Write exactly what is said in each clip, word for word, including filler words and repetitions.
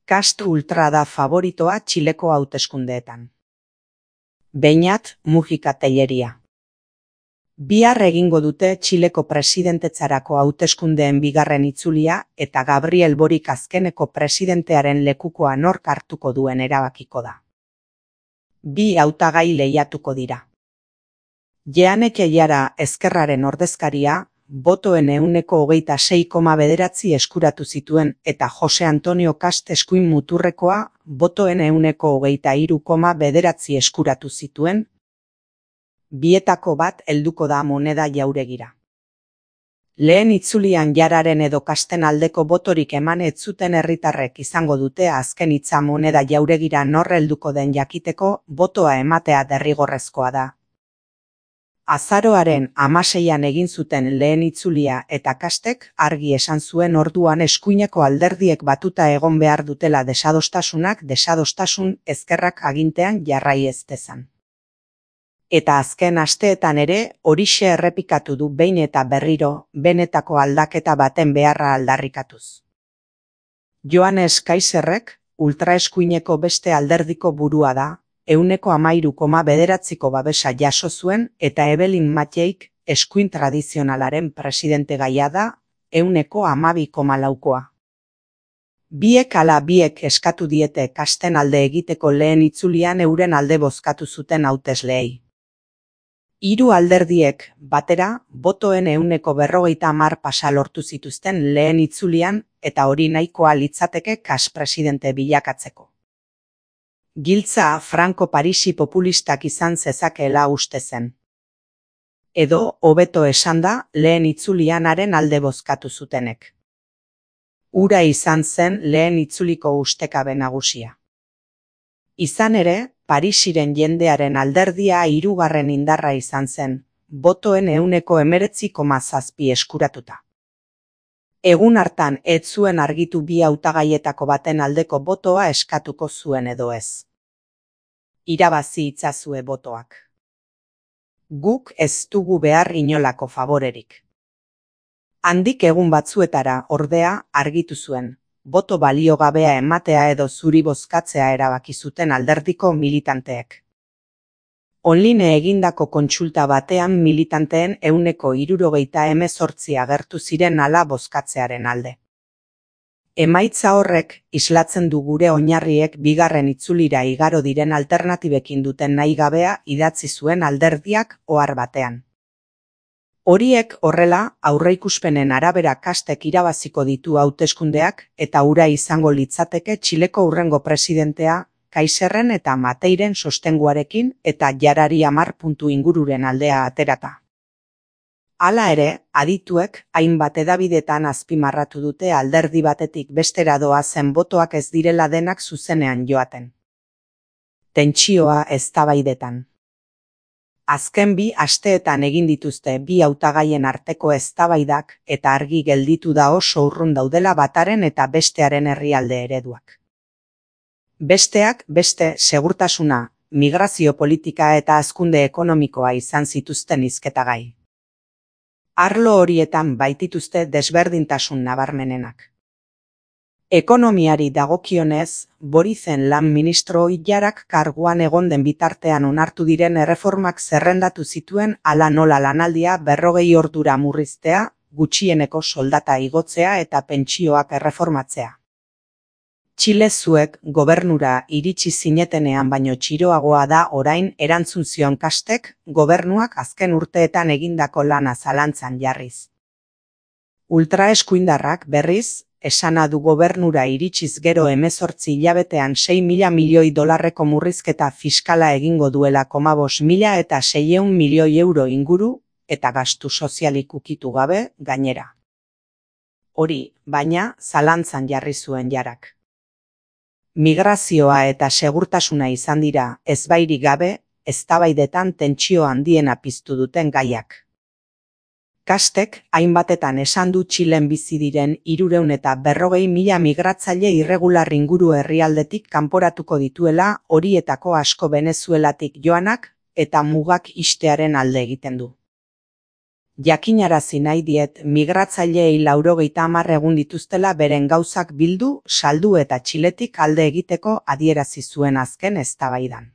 Kast ultra da favoritoa Txileko hauteskundeetan. Beñat Mujika Telleria. Bihar egingo dute Txileko presidentetzarako hauteskundeen bigarren itzulia eta Gabriel Boric azkeneko presidentearen lekukoa nork hartuko duen erabakiko da. Bi hautagai lehiatuko dira. Jeanek Eiara Ezkerraren ordezkaria, botoen ehuneko hogeita sei koma bederatzi eskuratu zituen eta Jose Antonio Kast eskuin muturrekoa, botoen ehuneko hogeita hiru koma bederatzi eskuratu zituen. Bietako bat helduko da Moneda Jauregira. Lehen itzulian Jararen edo Kasten aldeko botorik eman ez zuten herritarrek izango dute azken hitza Moneda Jauregira nor helduko den jakiteko botoa ematea derrigorrezkoa da. Azaroaren hamaseian egin zuten lehen itzulia eta Kastek argi esan zuen orduan eskuineko alderdiek batuta egon behar dutela desadostasunak desadostasun ezkerrak agintean jarrai ez dezan. Eta azken asteetan ere horixe errepikatu du behin eta berriro benetako aldaketa baten beharra aldarrikatuz. Joanes Kaiserrek ultraeskuineko beste alderdiko burua da, ehuneko hamairu koma bederatziko babesa jaso zuen eta Evelyn Matteik eskuin tradizionalaren presidente gaia da, ehuneko hamabi koma laukoa. Biek ala biek eskatu diete Kasten alde egiteko lehen itzulian euren alde bozkatu zuten hautesleei. Hiru alderdiek batera botoen ehuneko berrogeita hamar pasa lortu zituzten lehen itzulian eta hori nahikoa litzateke Kast presidente bilakatzeko. Giltza Franco Parisi populistak izan zezakeela uste zen. Edo, hobeto esanda, lehen itzulian haren alde bozkatu zutenek. Hura izan zen lehen itzuliko ustekabe nagusia. Izan ere, Parisiren jendearen alderdia hirugarren indarra izan zen, botoen ehuneko hemeretzi koma zazpi eskuratuta. Egun hartan ez zuen argitu bi hautagaietako baten aldeko botoa eskatuko zuen edo ez. Irabazi itzazue botoak. Guk ez dugu behar inolako favorerik. Handik egun batzuetara ordea argitu zuen, boto baliogabea ematea edo zuri bozkatzea erabaki zuten alderdiko militanteek. Online egindako kontsulta batean militanteen ehuneko hirurogeita hemezortzi agertu ziren hala bozkatzearen alde. Emaitza horrek islatzen du gure oinarriek bigarren itzulira igaro diren alternatibekin duten nahi gabea idatzi zuen alderdiak ohar batean. Horiek horrela aurreikuspenen arabera Kastek irabaziko ditu hauteskundeak eta hura izango litzateke Txileko hurrengo presidentea Kaiserren eta Mateiren sostenguarekin eta Jarari hamar puntu ingururen aldea aterata. Hala ere, adituek hainbat hedabidetan azpimarratu dute alderdi batetik bestera doazen botoak ez direla denak zuzenean joaten. Tentsioa eztabaidetan. Azken bi asteetan egin dituzte bi hautagaien arteko eztabaidak eta argi gelditu da oso urrun daudela bataren eta bestearen herrialde ereduak. Besteak beste segurtasuna, migrazio politika eta hazkunde ekonomikoa izan zituzten hizketagai. Arlo horietan baitituzte desberdintasun nabarmenenak. Ekonomiari dagokionez, Boricen lan ministro Jarak karguan egon den bitartean onartu diren erreformak zerrendatu zituen hala nola lanaldia berrogei ordura murriztea, gutxieneko soldata igotzea eta pentsioak erreformatzea. Txile zuek gobernura iritsi zinetenean baino txiroagoa da orain erantzun zion Kastek gobernuak azken urteetan egindako lana zalantzan jarriz. Ultraeskuindarrak berriz, esana du gobernura iritsiz gero hemezortzi hilabetean sei mila milioi dolarreko murrizketa fiskala egingo duela komabos mila eta seiehun milioi euro inguru eta gastu sozialik ukitu gabe gainera. Hori, baina, zalantzan jarri zuen Jarak. Migrazioa eta segurtasuna izan dira, ezbairik gabe, eztabaidetan tentsio handiena piztu duten gaiak. Kastek hainbatetan esan du Txilen bizi diren hirurehun eta berrogei mila migratzaile irregular inguru herrialdetik kanporatuko dituela horietako asko Venezuelatik joanak eta mugak ixtearen alde egiten du. Jakinarazi nahi diet migratzaileei laurogeita hamar egun dituztela beren gauzak bildu, saldu eta Txiletik alde egiteko adierazi zuen azken eztabaidan.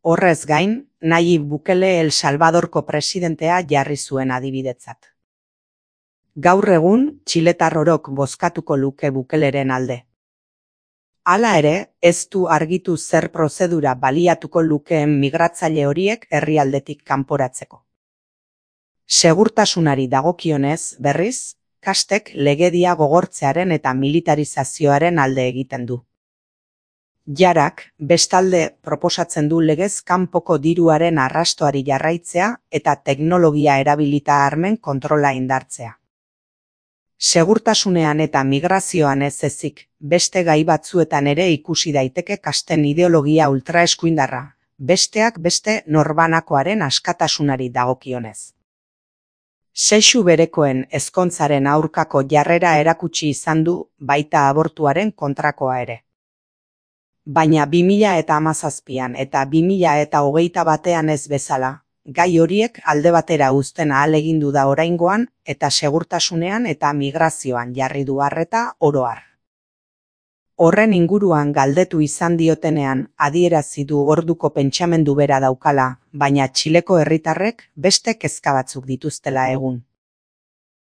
Horrez gain, Nayib Bukele El Salvadorko presidentea jarri zuen adibidetzat. Gaur egun, txiletar orok bozkatuko luke Bukeleren alde. Hala ere, ez du argitu zer prozedura baliatuko lukeen migratzaile horiek herrialdetik kanporatzeko. Segurtasunari dagokionez, berriz, kastek legedia gogortzearen eta militarizazioaren alde egiten du. Jarak, bestalde proposatzen du legez kanpoko diruaren arrastoari jarraitzea eta teknologia erabilita armen kontrola indartzea. Segurtasunean eta migrazioan ez ezik, beste gai batzuetan ere ikusi daiteke kasten ideologia ultraeskuindarra, besteak beste norbanakoaren askatasunari dagokionez. Sexu berekoen ezkontzaren aurkako jarrera erakutsi izan du, baita abortuaren kontrakoa ere. Baina bi mila eta hamazazpian eta bi mila eta hogeita batean ez bezala, gai horiek alde batera uzten ahalegindu da oraingoan eta segurtasunean eta migrazioan jarri du arreta oro har. Horren inguruan galdetu izan diotenean adierazi du orduko pentsamendu bera daukala, baina Txileko herritarrek beste kezka batzuk dituztela egun.